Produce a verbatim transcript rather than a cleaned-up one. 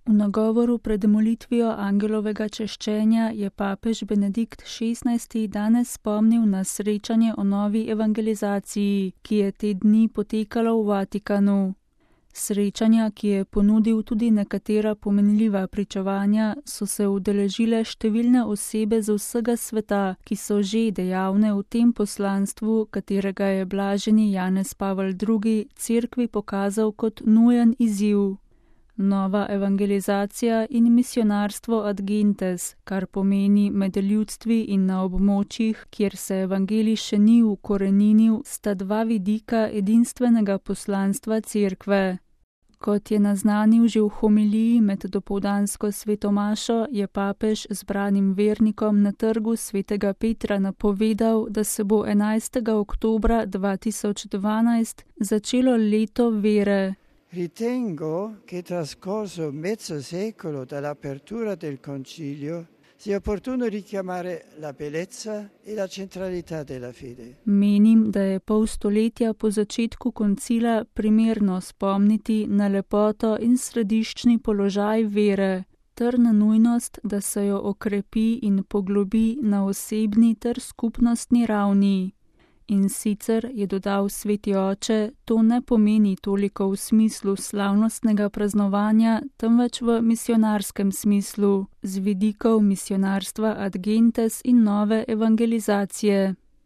V nagovoru pred molitvijo angelovega češčenja je papež Benedikt šestnajsti danes spomnil na srečanje o novi evangelizaciji, ki je te dni potekalo v Vatikanu. Srečanja, ki je ponudil tudi nekatera pomenljiva pričevanja, so se udeležile številne osebe z vsega sveta, ki so že dejavne v tem poslanstvu, katerega je blaženi Janez Pavel drugi cerkvi pokazal kot nujen izziv. Nova evangelizacija in misionarstvo ad gentes, kar pomeni med ljudstvi in na območjih, kjer se evangelij še ni ukoreninil, sta dva vidika edinstvenega poslanstva cerkve. Kot je naznanil že v homiliji med dopoldansko svetomašo, je papež zbranim vernikom na trgu svetega Petra napovedal, da se bo enajstega oktobra dva tisoč dvanajst začelo leto vere. Ritengo che trascorso mezzo secolo dall'apertura del concilio sia opportuno richiamare la bellezza e la centralità della fede. Menim, da je pol stoletja po začetku koncila primerno spomniti na lepoto in središčni položaj vere, ter na nujnost, da se jo okrepi in poglobi na osebni ter skupnostni ravni. In sicer, je dodal sveti oče, to ne pomeni toliko v smislu slavnostnega praznovanja, temveč v misionarskem smislu, z vidikov misionarstva ad gentes in nove evangelizacije.